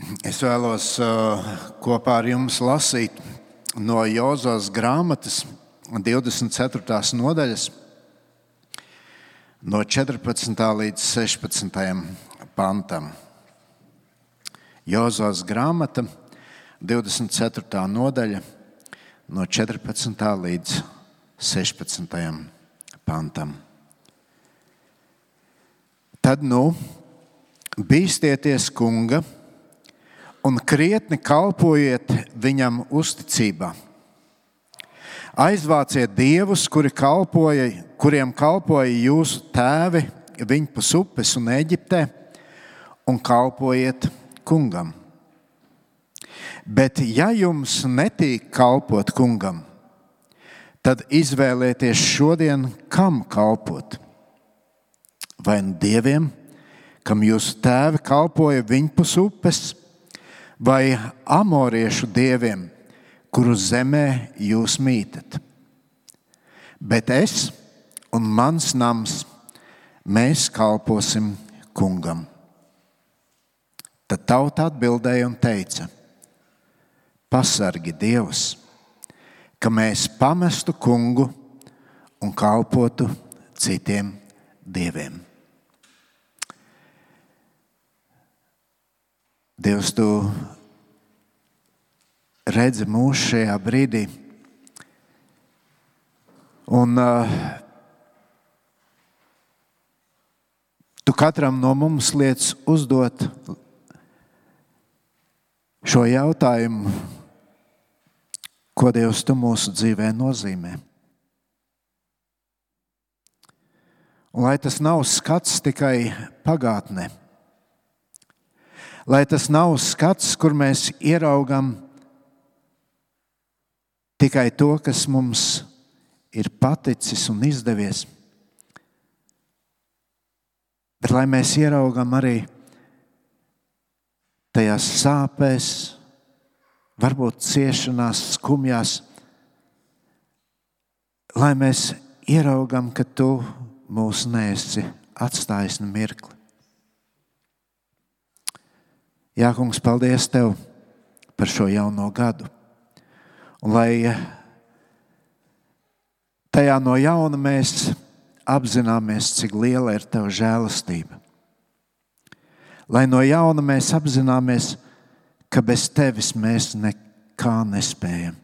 Es vēlos kopā ar jums lasīt no Jozās grāmatas 24. nodaļas, no 14. līdz 16. pantam. Jozās grāmata, 24. nodaļa, no 14. līdz 16. pantam. Tad bīstieties kunga un krietni kalpojiet viņam uzticībā. Aizvāciet dievus, kuriem kalpoja jūsu tēvi viņpus upes un Eģiptē, un kalpojiet kungam. Bet ja jums netīk kalpot kungam, tad izvēlieties šodien, kam kalpot. Vai nu dieviem, kam jūsu tēvi kalpoja viņpus upes, vai amoriešu dieviem, kuru zemē jūs mītat. Bet es un mans nams, mēs kalposim kungam. Tad tauta atbildēja un teica: pasargi Dievs, ka mēs pamestu kungu un kalpotu citiem dieviem. Dievs, tu redzi mūs šajā brīdī, un tu katram no mums liec uzdot šo jautājumu, ko Dievs tu mūsu dzīvē nozīmē. Un lai tas nav skats tikai pagātnē, lai tas nav skats, kur mēs ieraugam tikai to, kas mums ir paticis un izdevies, bet lai mēs ieraugam arī tajās sāpēs, varbūt ciešanās, skumjās, lai mēs ieraugam, ka tu mūs neesi atstājis ne mirkli. Jā, kungs, paldies tev par šo jauno gadu. Un lai tajā no jauna mēs apzināmies, cik liela ir tava žēlastība. Lai no jauna mēs apzināmies, ka bez tevis mēs nekā nespējam.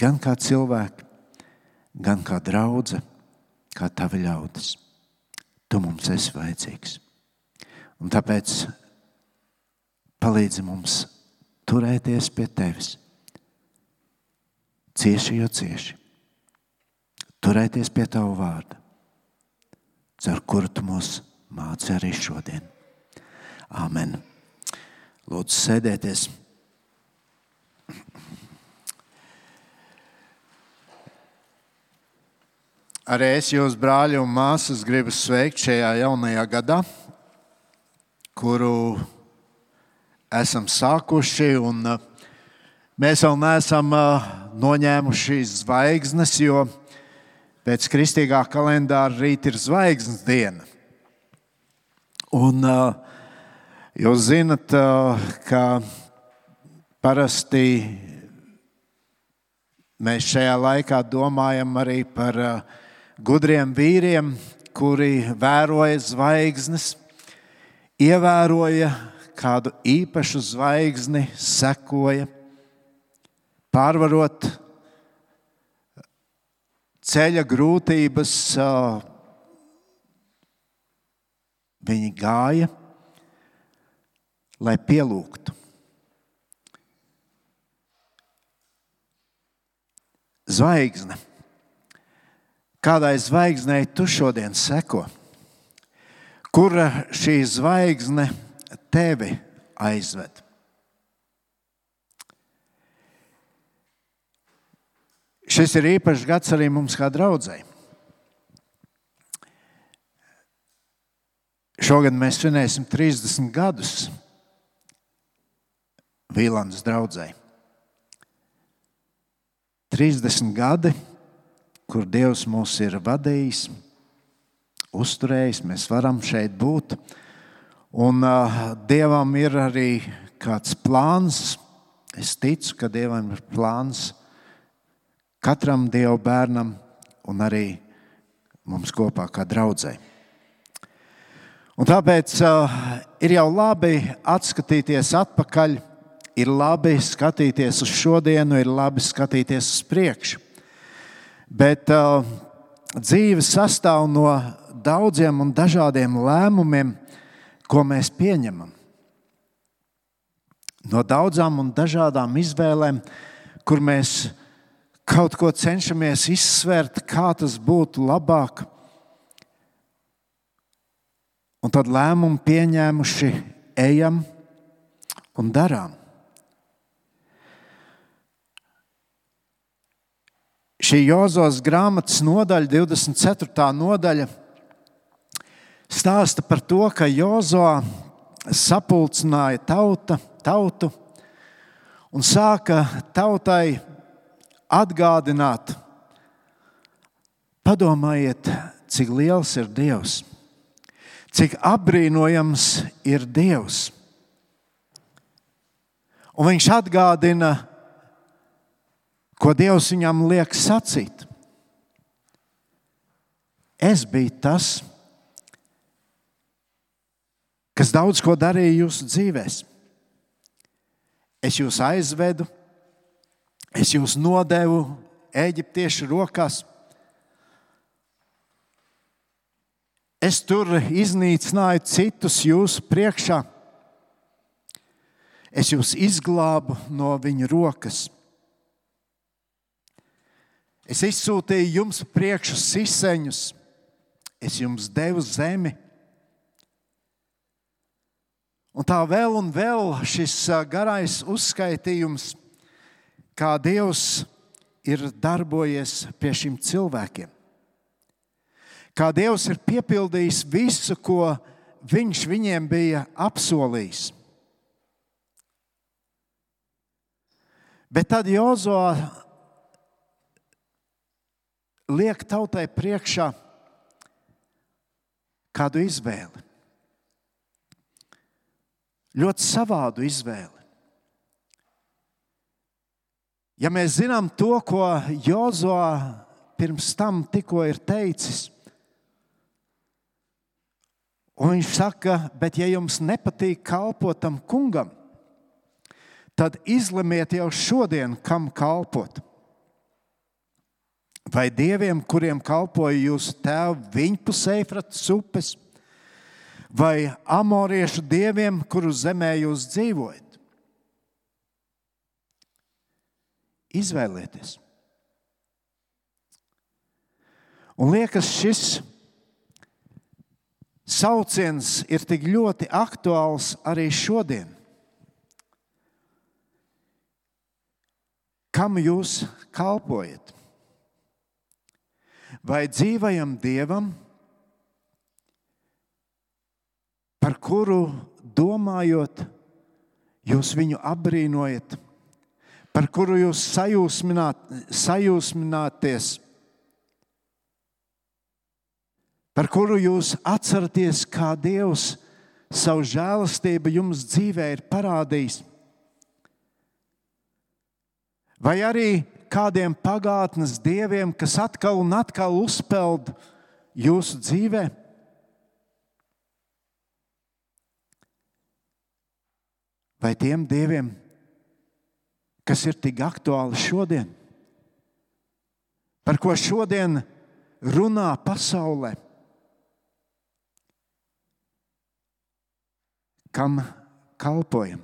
Gan kā cilvēki, gan kā draudze, kā tavi ļaudis. Tu mums esi vajadzīgs. Un tāpēc palīdzi mums turēties pie tevis. Cieši jo cieši. Turēties pie tava vārda, caur kuru tu mūs māci arī šodien. Āmen. Lūdzu, sēdieties. Arī es jūs, brāļi un māsas, gribu sveikt šajā jaunajā gadā, kuru esam sākuši, un mēs vēl neesam noņēmuši zvaigznes, jo pēc kristīgā kalendāra rīt ir zvaigznes diena. Un jūs zinat, ka parasti mēs šajā laikā domājam arī par gudriem vīriem, kuri vēroja zvaigznes, ievēroja kādu īpašu zvaigzni, sekoja, pārvarot ceļa grūtības, viņi gāja, lai pielūgtu. Zvaigzne. Kādai zvaigznei tu šodien seko? Kur šī zvaigzne tevi aizved? Šis ir īpašs gads arī mums kā draudzei. Šogad mēs svinēsim 30 gadus Vīlandes draudzei. 30 gadi, kur Dievs mūs ir vadījis, uzturējis, mēs varam šeit būt. Un Dievam ir arī kāds plāns. Es ticu, ka Dievam ir plāns katram Dieva bērnam un arī mums kopā kā draudzei. Un tāpēc ir jau labi atskatīties atpakaļ, ir labi skatīties uz šodienu, ir labi skatīties uz priekšu. Bet dzīve sastāv no daudziem un dažādiem lēmumiem, ko mēs pieņemam. No daudzām un dažādām izvēlēm, kur mēs kaut ko cenšamies izsvērt, kā tas būtu labāk. Un tad lēmumu pieņēmuši ejam un darām. Šī Jozos grāmatas nodaļa, 24. nodaļa, stāsta par to, ka Jozo sapulcināja tautu un sāka tautai atgādināt, padomājiet, cik liels ir Dievs, cik apbrīnojams ir Dievs. Un viņš atgādina, ko Dievs viņam liek sacīt. Es biju tas, kas daudz ko darīja jūsu dzīvēs. Es jūs aizvedu, es jūs nodevu eģiptiešu rokās. Es tur iznīcināju citus jūsu priekšā. Es jūs izglābu no viņa rokas. Es izsūtīju jums priekšu siseņus. Es jums devu zemi. Un tā vēl un vēl šis garais uzskaitījums, kā Dievs ir darbojies pie šiem cilvēkiem. Kā Dievs ir piepildījis visu, ko viņš viņiem bija apsolījis. Bet tad Jozo liek tautai priekšā kādu izvēli. Ļoti savādu izvēli. Ja mēs zinām to, ko Jozo pirms tam tikko ir teicis, un viņš saka, bet ja jums nepatīk kalpot tam kungam, tad izlemiet jau šodien, kam kalpot. Vai dieviem, kuriem kalpoja jūsu tēvi viņpus Eifrates upes, vai amoriešu dieviem, kuru zemē jūs dzīvojat? Izvēlieties. Un liekas, šis sauciens ir tik ļoti aktuāls arī šodien. Kam jūs kalpojat? Vai dzīvajam Dievam, par kuru domājot, jūs viņu apbrīnojat, par kuru jūs sajūsmināties, par kuru jūs atceraties, kā Dievs savu žēlastību jums dzīvē ir parādījis? Vai arī kādiem pagātnes dieviem, kas atkal un atkal uzpeld jūsu dzīvē? Vai tiem dieviem, kas ir tik aktuāli šodien? Par ko šodien runā pasaulē? Kam kalpojam?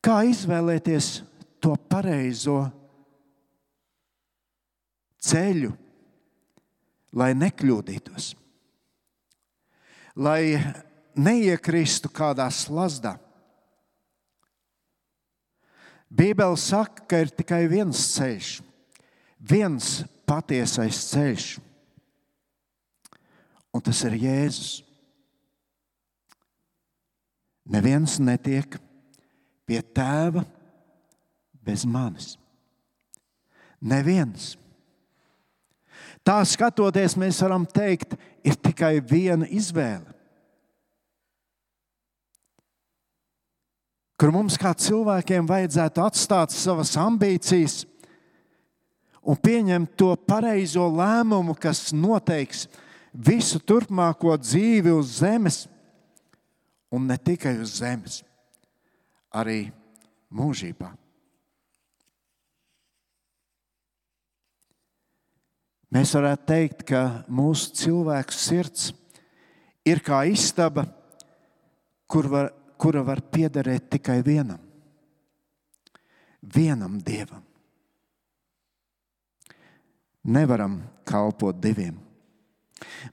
Kā izvēlēties to pareizo ceļu, lai nekļūdītos? Lai neiekristu kādā slazdā. Bībele saka, ka ir tikai viens ceļš, viens patiesais ceļš, un tas ir Jēzus. Neviens netiek pie Tēva bez manis. Neviens. Tā skatoties, mēs varam teikt, ir tikai viena izvēle, kur mums kā cilvēkiem vajadzētu atstāt savas ambīcijas un pieņemt to pareizo lēmumu, kas noteiks visu turpmāko dzīvi uz zemes, un ne tikai uz zemes, arī mūžībā. Mēs varētu teikt, ka mūsu cilvēku sirds ir kā istaba, kura var piederēt tikai vienam Dievam. Nevaram kalpot diviem.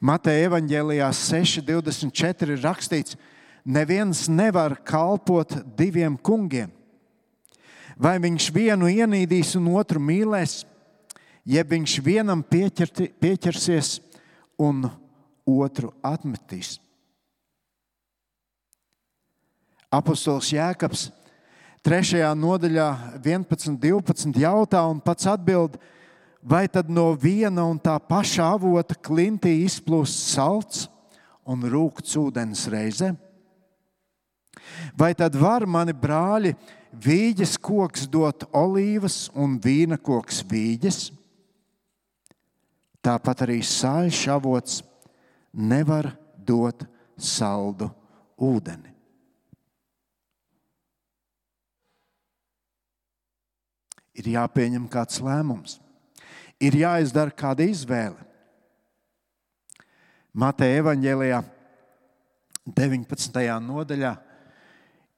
Mateja evaņģēlijā 6:24 ir rakstīts: neviens nevar kalpot diviem kungiem. Vai viņš vienu ienīdīs un otru mīlēs, jeb viņš vienam pieķersies un otru atmetīs. Apostols Jēkabs 3. nodaļā 11-12 jautā un pats atbild: vai tad no viena un tā paša avota klintī izplūst salts un rūkts ūdens reizē? Vai tad var mani brāļi vīģes koks dot olīvas un vīna koks vīģes? Tāpat arī sāļš avots nevar dot saldu ūdeni. Ir jāpieņem kāds lēmums. Ir jāizdara kāda izvēle. Mateja evaņģēlijā 19. nodaļā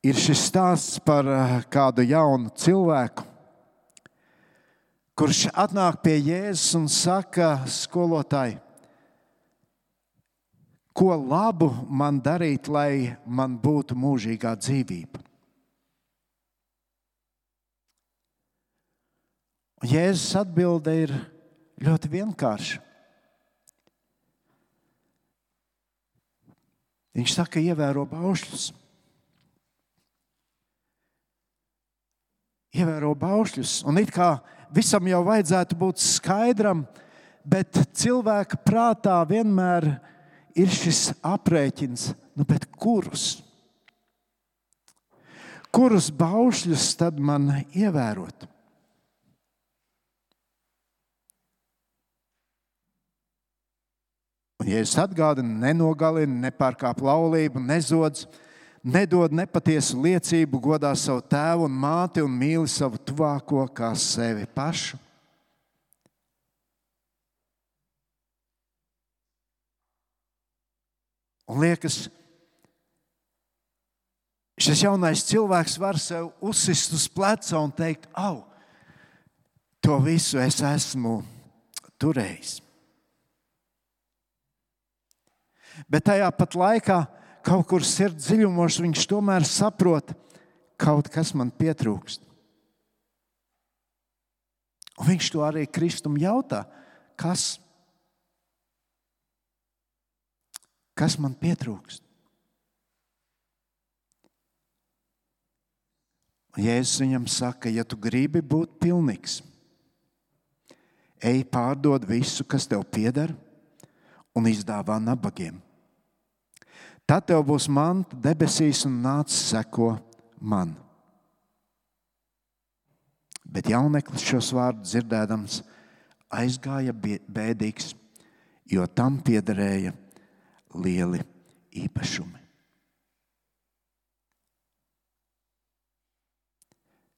ir šis stāsts par kādu jaunu cilvēku, kurš atnāk pie Jēzus un saka: skolotāji, ko labu man darīt, lai man būtu mūžīgā dzīvība? Un Jēzus atbilde ir ļoti vienkārša. Viņš saka: ievēro baušļus. Ievēro baušļus. Un it kā visam jau vajadzētu būt skaidram, bet cilvēka prātā vienmēr ir šis aprēķins, bet kurus? Kurus baušļus tad man ievērot? Un Jēzus atgādina: nenogalini, nepārkāp laulību, nezodz, nedod nepatiesu liecību, godā savu tēvu un māti un mīli savu tuvāko kā sevi pašu. Un liekas, šis jaunais cilvēks var sev uzsist uz pleca un teikt: au, to visu es esmu turējis. Bet tajā pat laikā kaut kur sirds dziļumos viņš tomēr saprot, kaut kas man pietrūkst. Un viņš to arī Kristum jautā: kas? Kas man pietrūkst? Un Jēzus viņam saka: ja tu gribi būt pilnīgs, ej pārdod visu, kas tev pieder, un izdāvā nabagiem. Tad tev būs manta debesīs un nāc seko man. Bet jauneklis šos vārdus dzirdēdams aizgāja bēdīgs, jo tam piederēja lieli īpašumi.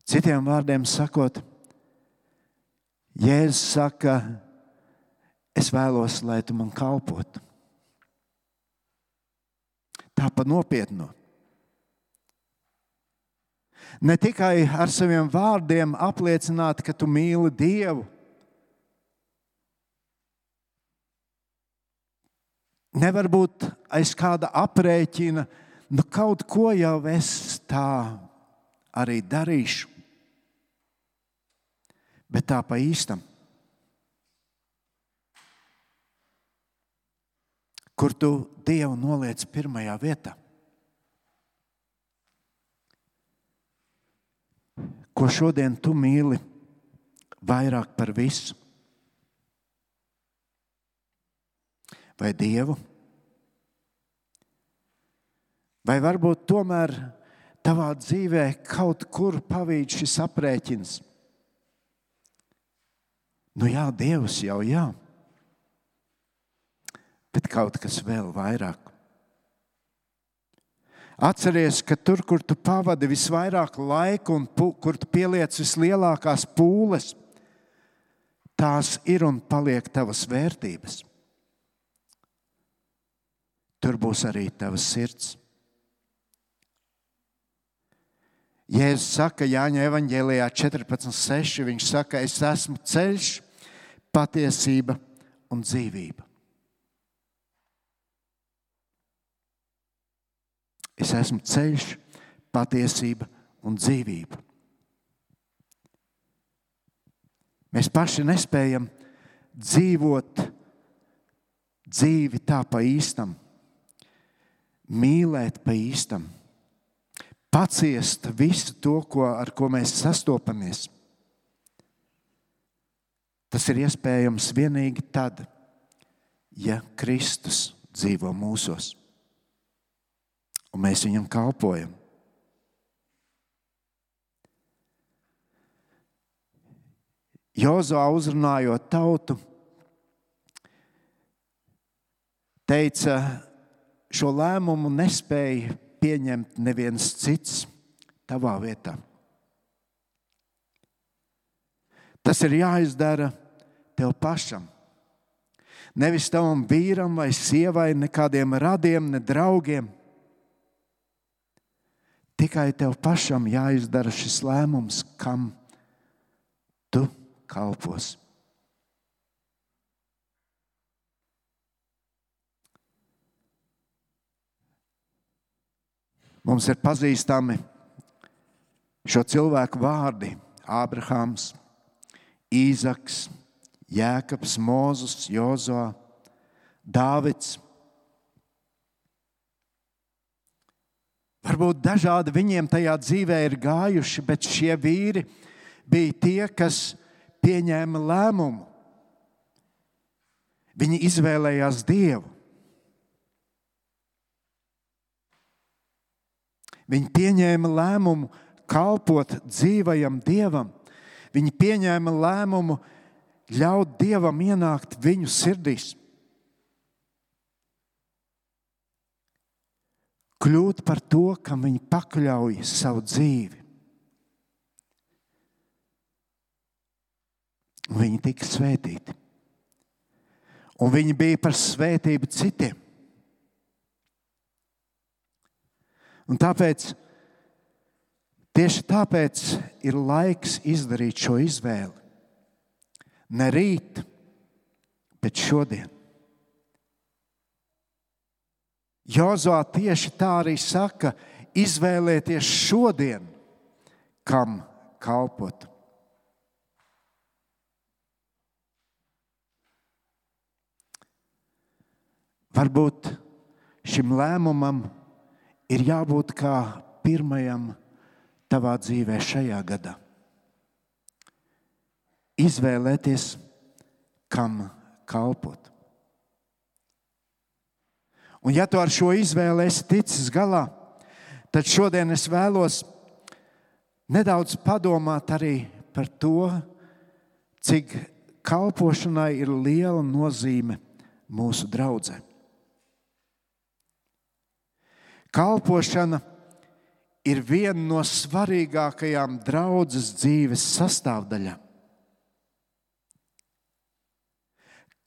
Citiem vārdiem sakot, Jēzus saka: es vēlos, lai tu man kalpotu. Tā pa nopietnu. Ne tikai ar saviem vārdiem apliecināt, ka tu mīli Dievu. Nevar būt aiz kāda aprēķina, kaut ko jau es tā arī darīšu. Bet tā pa īstam. Kur tu Dievu noliec pirmajā vietā? Ko šodien tu mīli vairāk par visu? vai Dievu? Vai varbūt tomēr tavā dzīvē kaut kur pavīd šis aprēķins? Nu jā, Dievs jau jā, bet kaut kas vēl vairāk. Atceries, ka tur, kur tu pavadi visvairāk laika un kur tu pieliec vislielākās pūles, tās ir un paliek tavas vērtības. Tur būs arī tavas sirds. Jēzus saka Jāņa evaņģēlijā 14:6, viņš saka, es esmu ceļš, patiesība un dzīvība. Es esmu ceļš, patiesība un dzīvība. Mēs paši nespējam dzīvot dzīvi tā pa īstam, mīlēt pa īstam, paciest visu to, ar ko mēs sastopamies. Tas ir iespējams vienīgi tad, ja Kristus dzīvo mūsos un mēs viņam kalpojam. Jozuā uzrunājot tautu, teica, šo lēmumu nespēja pieņemt neviens cits tavā vietā. Tas ir jāizdara tev pašam. Nevis tavam vīram vai sievai, nekādiem radiem, ne draugiem. Tikai tev pašam jāizdara šis lēmums, kam tu kalpos. Mums ir pazīstami šo cilvēku vārdi: Ābrahams, Īzaks, Jēkabs, Mūzes, Jozuā, Dāvids. Varbūt dažādi viņiem tajā dzīvē ir gājuši, bet šie vīri bija tie, kas pieņēma lēmumu. Viņi izvēlējās Dievu. Viņi pieņēma lēmumu kalpot dzīvajam Dievam. Viņi pieņēma lēmumu ļaut Dievam ienākt viņu sirdīs. Kļūt par to, kam viņi pakļauj savu dzīvi. Un viņi tika svētīti. Un viņi bija par svētību citiem. Un tieši tāpēc ir laiks izdarīt šo izvēli. Ne rīt, bet šodien. Jozuā tieši tā arī saka, izvēlēties šodien, kam kalpot. Varbūt šim lēmumam ir jābūt kā pirmajam tavā dzīvē šajā gadā. Izvēlēties, kam kalpot. Un ja tu ar šo izvēli esi ticis galā, tad šodien es vēlos nedaudz padomāt arī par to, cik kalpošanai ir liela nozīme mūsu draudzē. Kalpošana ir viena no svarīgākajām draudzes dzīves sastāvdaļām.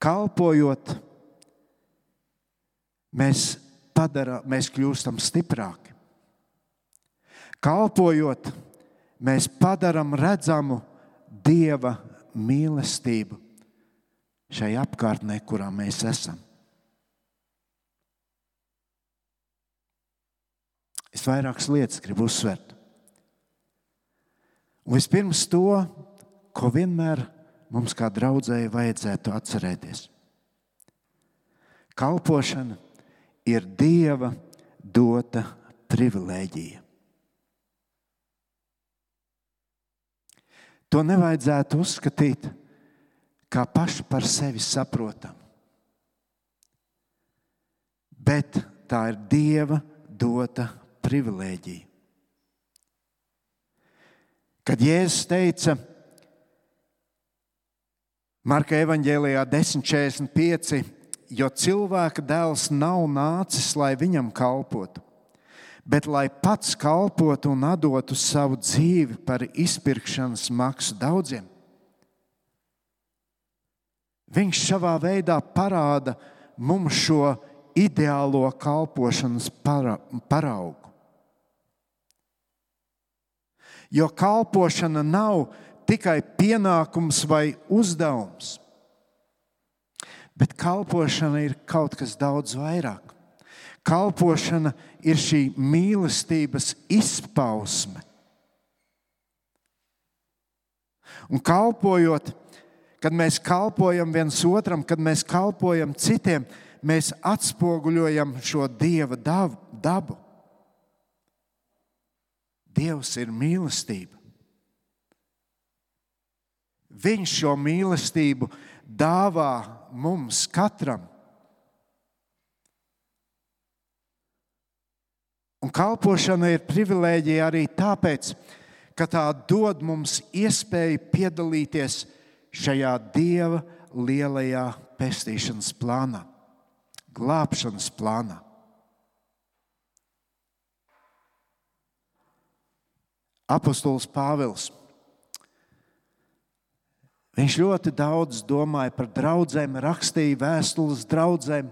Kalpojot, mēs kļūstam stiprāki. Kalpojot, mēs padaram redzamu Dieva mīlestību šai apkārtnē, kurā mēs esam. Es vairākas lietas gribu uzsvert. Un vispirms to, ko vienmēr mums kā draudzēji vajadzētu atcerēties. Kalpošana ir Dieva dota privilēģija. To nevajadzētu uzskatīt kā pašu par sevi saprotamu. bet tā ir Dieva dota privilēģija. Kad Jēzus teica Marka evaņģēlijā 10:45, jo cilvēka dēls nav nācis, lai viņam kalpotu, bet lai pats kalpotu un atdotu savu dzīvi par izpirkšanas maksu daudziem. Viņš savā veidā parāda mums šo ideālo kalpošanas paraugu. Jo kalpošana nav tikai pienākums vai uzdevums, bet kalpošana ir kaut kas daudz vairāk. Kalpošana ir šī mīlestības izpausme. Un kalpojot, kad mēs kalpojam viens otram, kad mēs kalpojam citiem, mēs atspoguļojam šo Dieva dabu. Dievs ir mīlestība. Viņš šo mīlestību dāvā mums katram. Un kalpošana ir privilēģija arī tāpēc, ka tā dod mums iespēju piedalīties šajā Dieva lielajā pestīšanas plānā, glābšanas plānā. Apostols Pāvils, viņš ļoti daudz domāja par draudzēm, rakstīja vēstules draudzēm,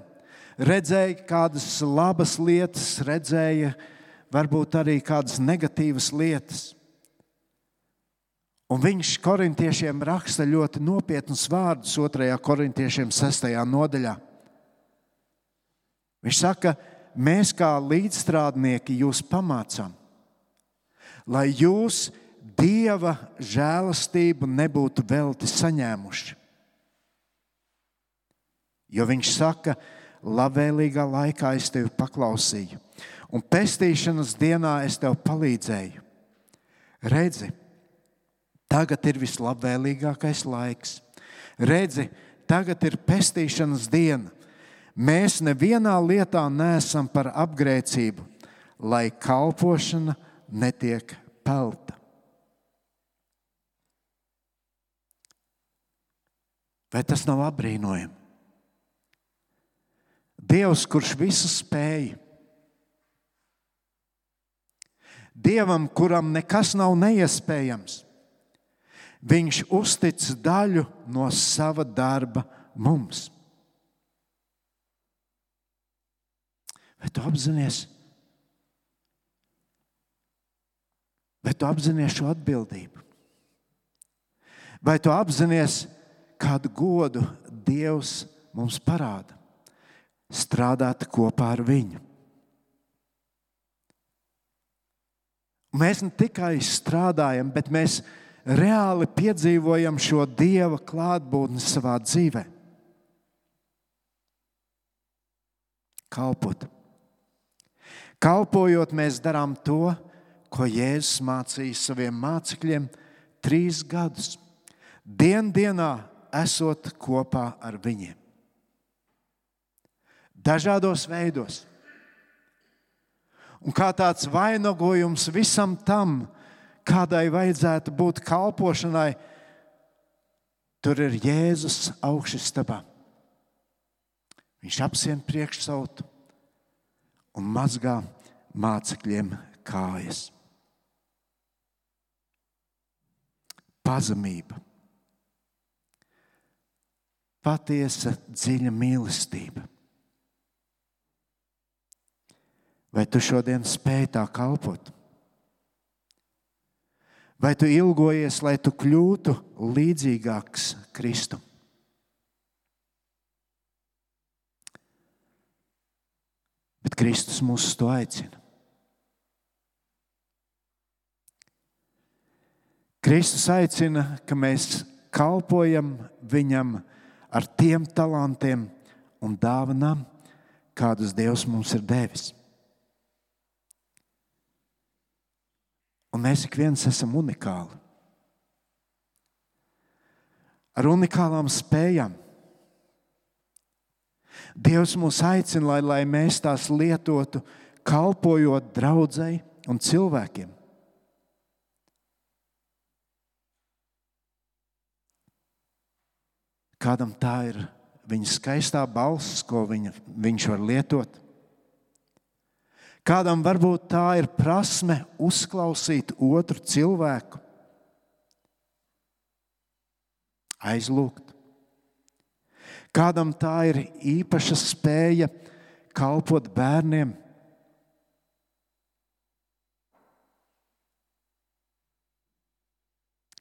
redzēja kādas labas lietas, redzēja varbūt arī kādas negatīvas lietas. Un viņš korintiešiem raksta ļoti nopietnus vārdus 2. korintiešiem 6. nodaļā. Viņš saka, mēs kā līdzstrādnieki jūs pamācām, lai jūs Dieva žēlastību nebūtu velti saņēmuši. Jo viņš saka, labvēlīgā laikā es tevi paklausīju, un pestīšanas dienā es tev palīdzēju. Redzi, tagad ir vislabvēlīgākais laiks. Redzi, tagad ir pestīšanas diena. Mēs nevienā lietā neesam par apgrēcību, lai kalpošana netiek pelta. Vai tas nav apbrīnojami? Dievs, kurš visu spēj, Dievam, kuram nekas nav neiespējams, viņš uztic daļu no sava darba mums. Vai tu apzinies? Vai tu apzinies šo atbildību? Vai tu apzinies, kādu godu Dievs mums parāda? Strādāt kopā ar viņu. Mēs ne tikai strādājam, bet mēs reāli piedzīvojam šo Dieva klātbūtni savā dzīvē. Kalpot. Kalpojot, mēs darām to, ko Jēzus mācīja saviem mācekļiem 3 gadus. Dienā esot kopā ar viņiem. Dažādos veidos. Un kā tāds vainagojums visam tam, kādai vajadzētu būt kalpošanai, tur ir Jēzus augšistabā. Viņš apsien priekšsautu un mazgā mācekļiem kājas. Pazemība. Patiesa, dziļa mīlestība. Vai tu šodien spēj tā kalpot? Vai tu ilgojies, lai tu kļūtu līdzīgāks Kristum? Bet Kristus mūs uz to aicina. Kristus aicina, ka mēs kalpojam viņam ar tiem talantiem un dāvanām, kādus Dievs mums ir devis. Un mēs ik viens esam unikāli. Ar unikālām spējām. Dievs mūs aicina, lai mēs tās lietotu, kalpojot draudzei un cilvēkiem. Kādam tā ir viņa skaistā balss, ko viņš var lietot. Kādam varbūt tā ir prasme uzklausīt otru cilvēku, aizlūgt. Kādam tā ir īpaša spēja kalpot bērniem.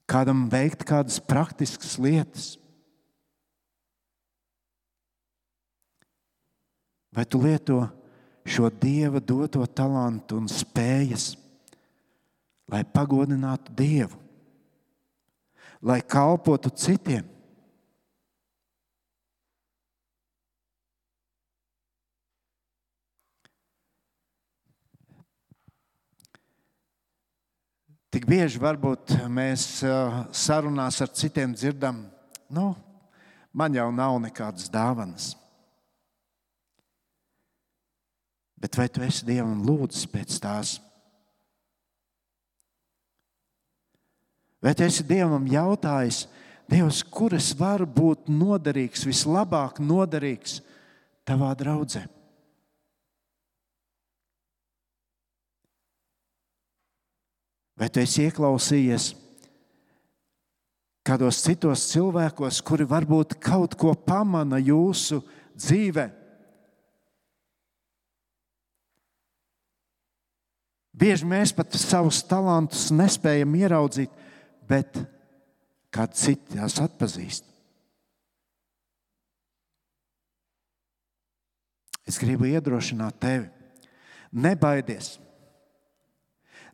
Kādam veikt kādas praktiskas lietas. Vai tu lieto šo Dieva doto talantu un spējas, lai pagodinātu Dievu, lai kalpotu citiem? Tik bieži varbūt mēs sarunās ar citiem dzirdam, man jau nav nekādas dāvanas. Bet vai tu esi Dievam lūdzis pēc tās? Vai tu esi Dievam jautājis, Dievs, kur es varu būt noderīgs, vislabāk noderīgs tavā draudzē? Vai tu esi ieklausījies kādos citos cilvēkos, kuri varbūt kaut ko pamana jūsu dzīvē? Bieži mēs pat savus talantus nespējam ieraudzīt, bet kāds cits tās atpazīst. Es gribu iedrošināt tevi. Nebaidies.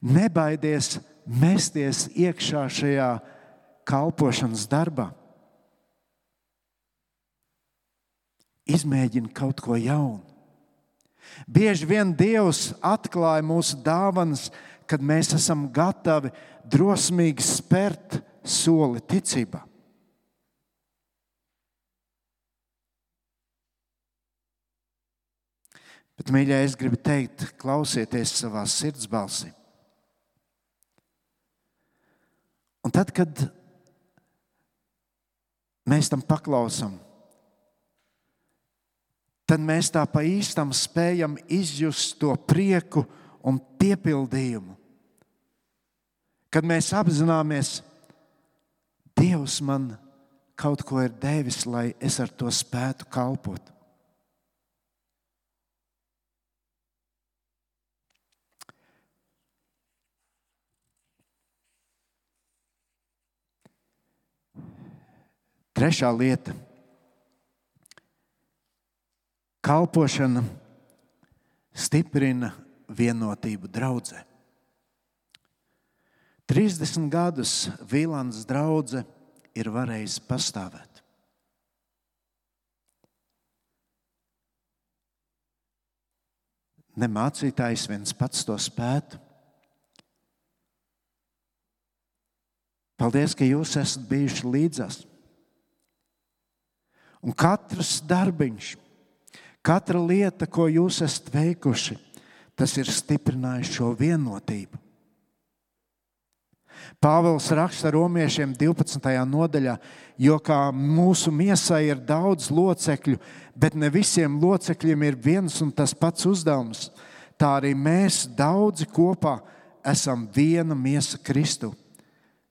Nebaidies mesties iekšā šajā kalpošanas darbā. Izmēģini kaut ko jaunu. Bieži vien Dievs atklāja mūsu dāvanas, kad mēs esam gatavi drosmīgi spērt soli ticībā. Bet, mīļie, es gribu teikt, klausieties savā sirds balsī. Un tad, kad mēs tam paklausam, tad mēs tā pa īstam spējam izjust to prieku un piepildījumu. Kad mēs apzināmies, Dievs man kaut ko ir devis, lai es ar to spētu kalpot. Trešā lieta. Kalpošana stiprina vienotību draudzē. 30 gadus Vīlandes draudze ir varējusi pastāvēt. Ne mācītājs viens pats to spētu. Paldies, ka jūs esat bijuši līdzās. Un katrs darbiņš, katra lieta, ko jūs esat veikuši, tas ir stiprinājis šo vienotību. Pāvils raksta Romiešiem 12. nodaļā, jo kā mūsu miesai ir daudz locekļu, bet ne visiem locekļiem ir viens un tas pats uzdevums, tā arī mēs daudzi kopā esam viena miesa Kristu,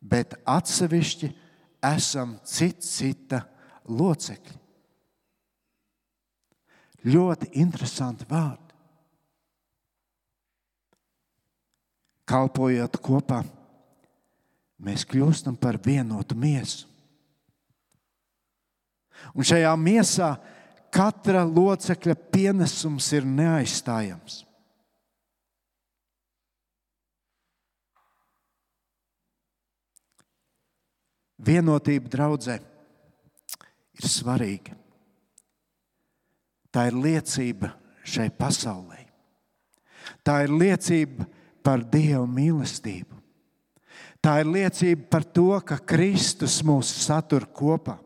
bet atsevišķi esam cita locekļi. Ļoti interesanti vārdi. Kalpojot kopā, mēs kļūstam par vienotu miesu. Un šajā miesā katra locekļa pienesums ir neaizstājams. Vienotība draudzē ir svarīga. Tā ir liecība šai pasaulē. Tā ir liecība par Dieva mīlestību. Tā ir liecība par to, ka Kristus mūs satur kopā.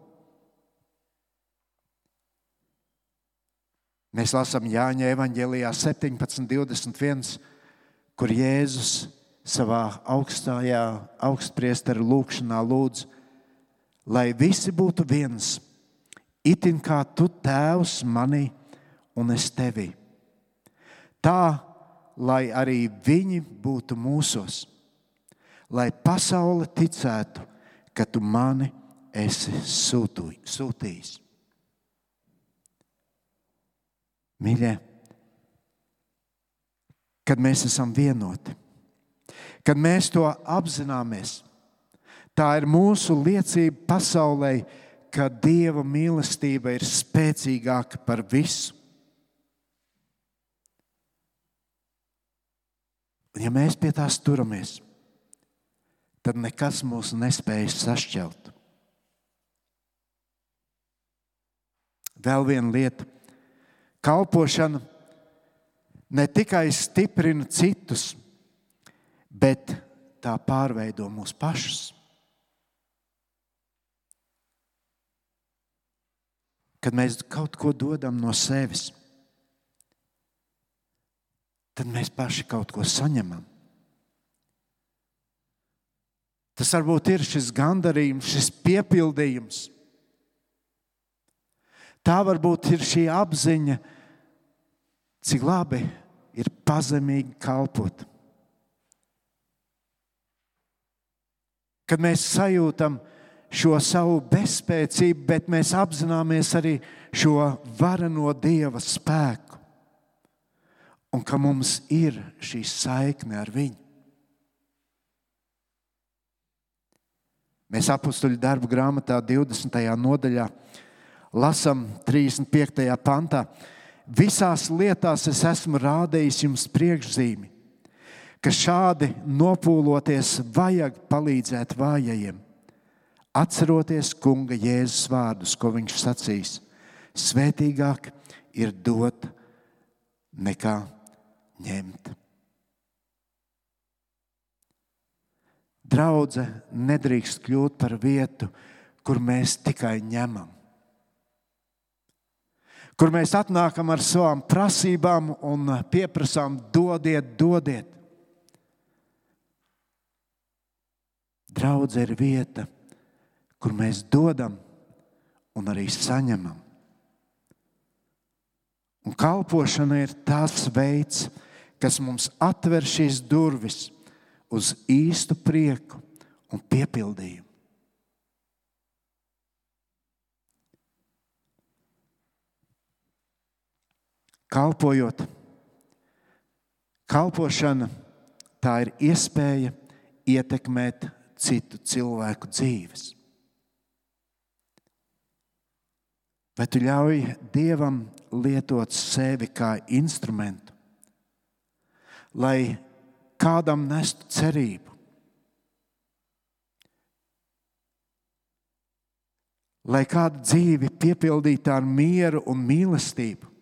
Mēs lasām Jāņa evaņģēlijā 17:21, kur Jēzus savā augstpriestera lūgšanā lūdz, lai visi būtu viens, itin kā tu, Tēvs, manī un es tevī. Tā, lai arī viņi būtu mūsos, lai pasaule ticētu, ka tu mani esi sūtījis. Mīļie, kad mēs esam vienoti, kad mēs to apzināmies, tā ir mūsu liecība pasaulē, ka Dieva mīlestība ir spēcīgāka par visu. Un ja mēs pie tās turamies, tad nekas mūs nespēj sašķelt. Vēl viena lieta. Kalpošana ne tikai stiprina citus, bet tā pārveido mūs pašus. Kad mēs kaut ko dodam no sevis, tad mēs paši kaut ko saņemam. Tas varbūt ir šis gandarījums, šis piepildījums. Tā varbūt ir šī apziņa, cik labi ir pazemīgi kalpot. Kad mēs sajūtam šo savu bezspēcību, bet mēs apzināmies arī šo vareno Dieva spēku un ka mums ir šī saikne ar viņu. Mēs Apostuļu darbu grāmatā 20. nodaļā lasām 35. pantā. Visās lietās es esmu rādījis jums priekšzīmi, ka šādi nopūloties vajag palīdzēt vājajiem. Atceroties Kunga Jēzus vārdus, ko viņš sacīs, svētīgāk ir dot nekā ņemt. Draudze nedrīkst kļūt par vietu, kur mēs tikai ņemam. Kur mēs atnākam ar savām prasībām un pieprasām dodiet, dodiet. Draudze ir vieta, kur mēs dodam un arī saņemam. Un kalpošana ir tas veids, kas mums atver šīs durvis uz īstu prieku un piepildījumu. Kalpošana tā ir iespēja ietekmēt citu cilvēku dzīves. Vai tu ļauj Dievam lietot sevi kā instrumentu, lai kādam nestu cerību, lai kādu dzīvi piepildītu ar mieru un mīlestību?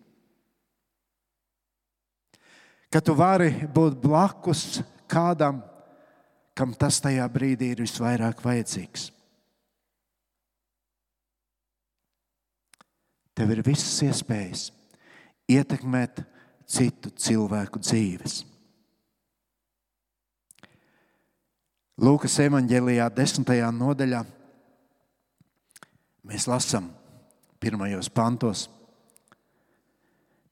Ka tu vari būt blakus kādam, kam tas tajā brīdī ir visvairāk vajadzīgs. Tev ir visas iespējas ietekmēt citu cilvēku dzīves. Lūkas evaņģēlijā 10. nodaļā mēs lasām pirmajos pantos.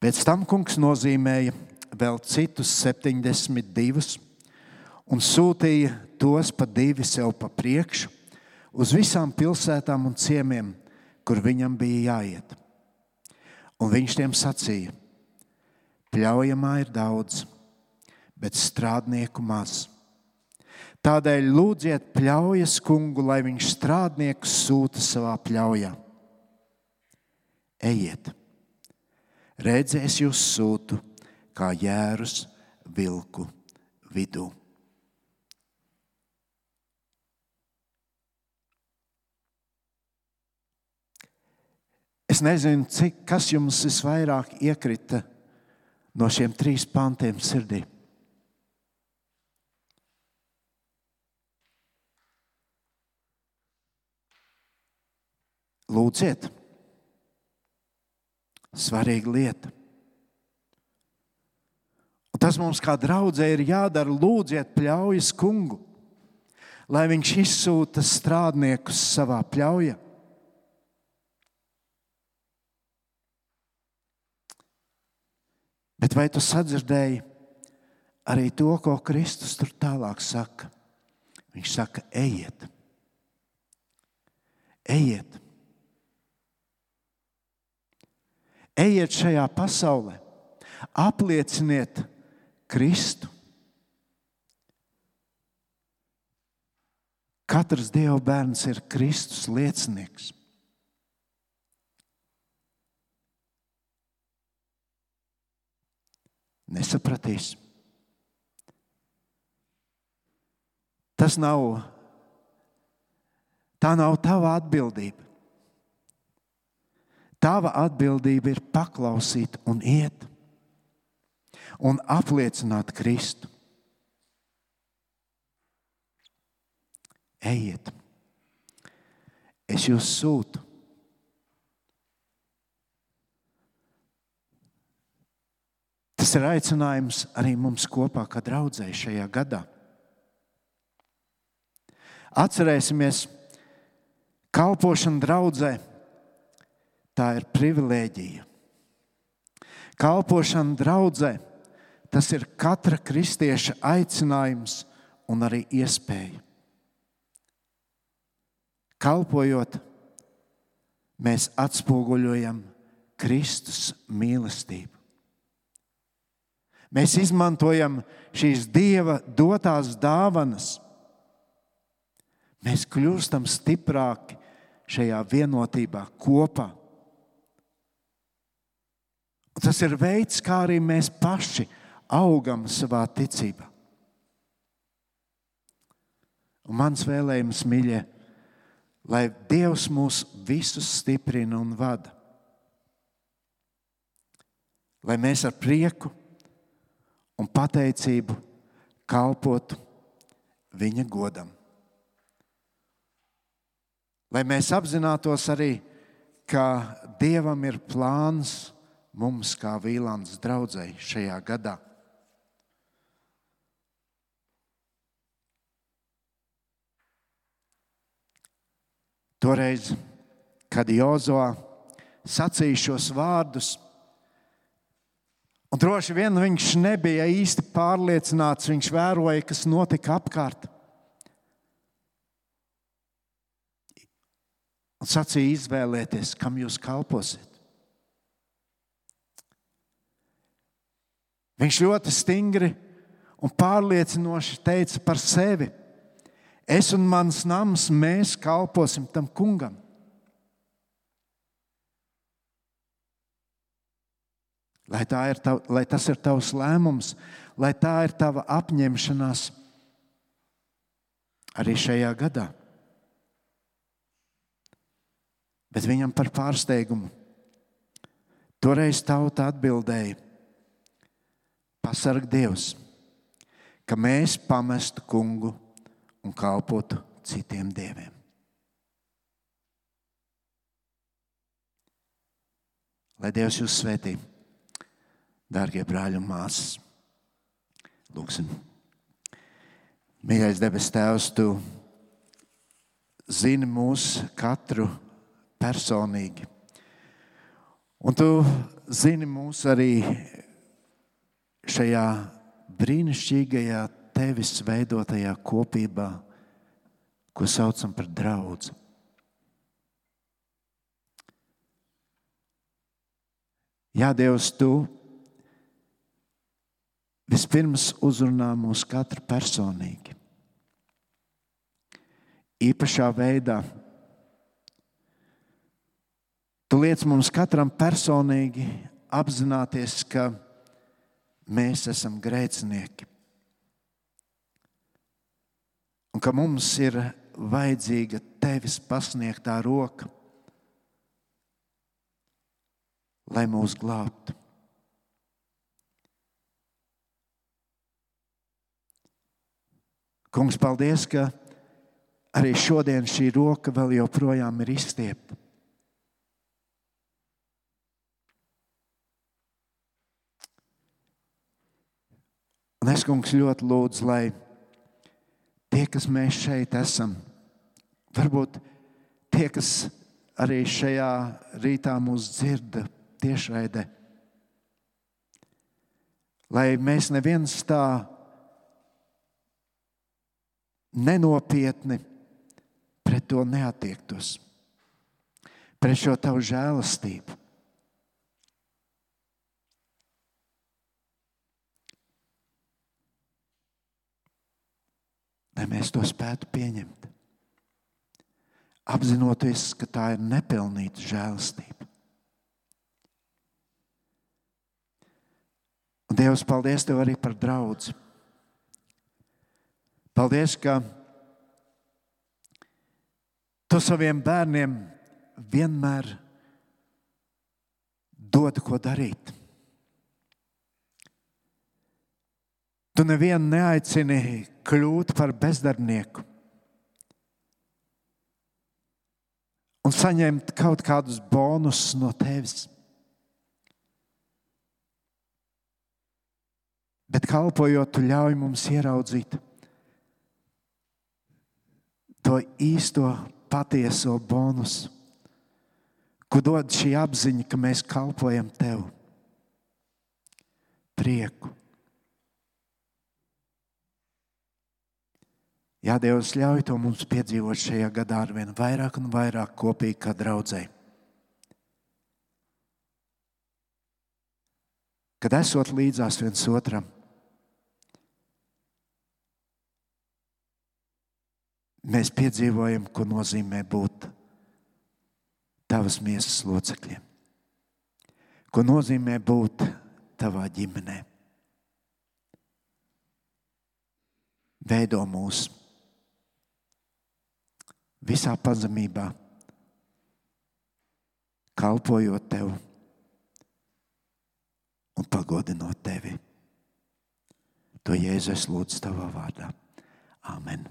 Pēc tam kungs nozīmēja vēl citus 72 un sūtīja tos pa 2 sev pa priekšu uz visām pilsētām un ciemiem, kur viņam bija jāiet. Un viņš tiem sacīja: pļaujamā ir daudz, bet strādnieku maz. Tādēļ lūdziet pļaujas kungu, lai viņš strādniekus sūta savā pļaujā. Ejiet, redzi, es jūs sūtu kā jērus vilku vidū. Es nezinu, kas jums visvairāk iekrita no šiem 3 pantiem sirdī. Lūdziet. Svarīga lieta. Un tas mums kā draudzē ir jādara. Lūdziet pļaujas kungu, lai viņš izsūta strādniekus savā pļaujā. Bet vai tu sadzirdēji arī to, ko Kristus tur tālāk saka? Viņš saka, ejiet. Ejiet. Ejiet šajā pasaulē. Aplieciniet Kristu. Katrs Dieva bērns ir Kristus liecinieks. Nesapratīs. Tā nav tava atbildība. Tava atbildība ir paklausīt un iet un apliecināt Kristu. Ejiet. Es jūs sūtu. Tas ir aicinājums arī mums kopā, kā draudzei šajā gadā. Atcerēsimies, kalpošana draudzē, tā ir privilēģija. Kalpošana draudzē, tas ir katra kristieša aicinājums un arī iespēja. Kalpojot, mēs atspoguļojam Kristus mīlestību. Mēs izmantojam šīs Dieva dotās dāvanas. Mēs kļūstam stiprāki šajā vienotībā kopā. Un tas ir veids, kā arī mēs paši augam savā ticībā. Un mans vēlējums, mīļie, lai Dievs mūs visus stiprina un vada. Lai mēs ar prieku un pateicību kalpotu viņa godam. Lai mēs apzinātos arī, ka Dievam ir plāns mums kā Vīlandes draudzei šajā gadā. Toreiz, kad Jozoā sacīja šos vārdus, un droši vien viņš nebija īsti pārliecināts, viņš vēroja, kas notika apkārt. Un sacīja izvēlēties, kam jūs kalposiet. Viņš ļoti stingri un pārliecinoši teica par sevi: es un mans nams, mēs kalposim tam kungam. Lai tas ir tavs lēmums, lai tā ir tava apņemšanās arī šajā gadā. Bet viņam par pārsteigumu toreiz tauta atbildēja: pasarg Dievs, ka mēs pamestu kungu un kalpotu citiem dieviem. Lai Dievs jūs svētī, dārgie brāļi un māsas. Lūksim. Mīļais debes Tēvs, Tu zini mūs katru personīgi. Un Tu zini mūs arī šajā brīnišķīgajā Tevis veidotajā kopībā, ko saucam par draudzi. Jā, Dievs, Tu vispirms uzrunā mūs katru personīgi. Īpašā veidā. Tu liec mums katram personīgi apzināties, ka mēs esam grēcinieki. Un ka mums ir vajadzīga Tevis pasniegtā roka, lai mūs glābtu. Kungs, paldies, ka arī šodien šī roka vēl joprojām ir izstiepta. Un es, kungs, ļoti lūdzu, lai tie, kas mēs šeit esam, varbūt tie, kas arī šajā rītā mūs dzird tiešraidē, lai mēs neviens tā nenopietni pret to neattiektos, pret šo tavu žēlastību. Lai mēs to spētu pieņemt, apzinoties, ka tā ir nepelnīta žēlastība. Un Dievs, paldies Tev arī par draudzi. Paldies, ka Tu saviem bērniem vienmēr dod, ko darīt. Tu nevienu neaicini kļūt par bezdarbnieku un saņemt kaut kādus bonusus no Tevis. Bet kalpojot, Tu ļauj mums ieraudzīt to īsto, patieso bonusu, ko dod šī apziņa, ka mēs kalpojam Tev. Prieku. Jā, Dievs, ļauj to mums piedzīvot šajā gadā arvien vairāk un vairāk kopīgi kā draudzei. Kad esot līdzās viens otram, mēs piedzīvojam, ko nozīmē būt Tavas miesas locekļiem, ko nozīmē būt Tavā ģimenē. Veido mūs visā pazemībā, kalpojot Tev un pagodinot Tevi. To Jēzu es lūdzu Tavā vārdā. Āmen.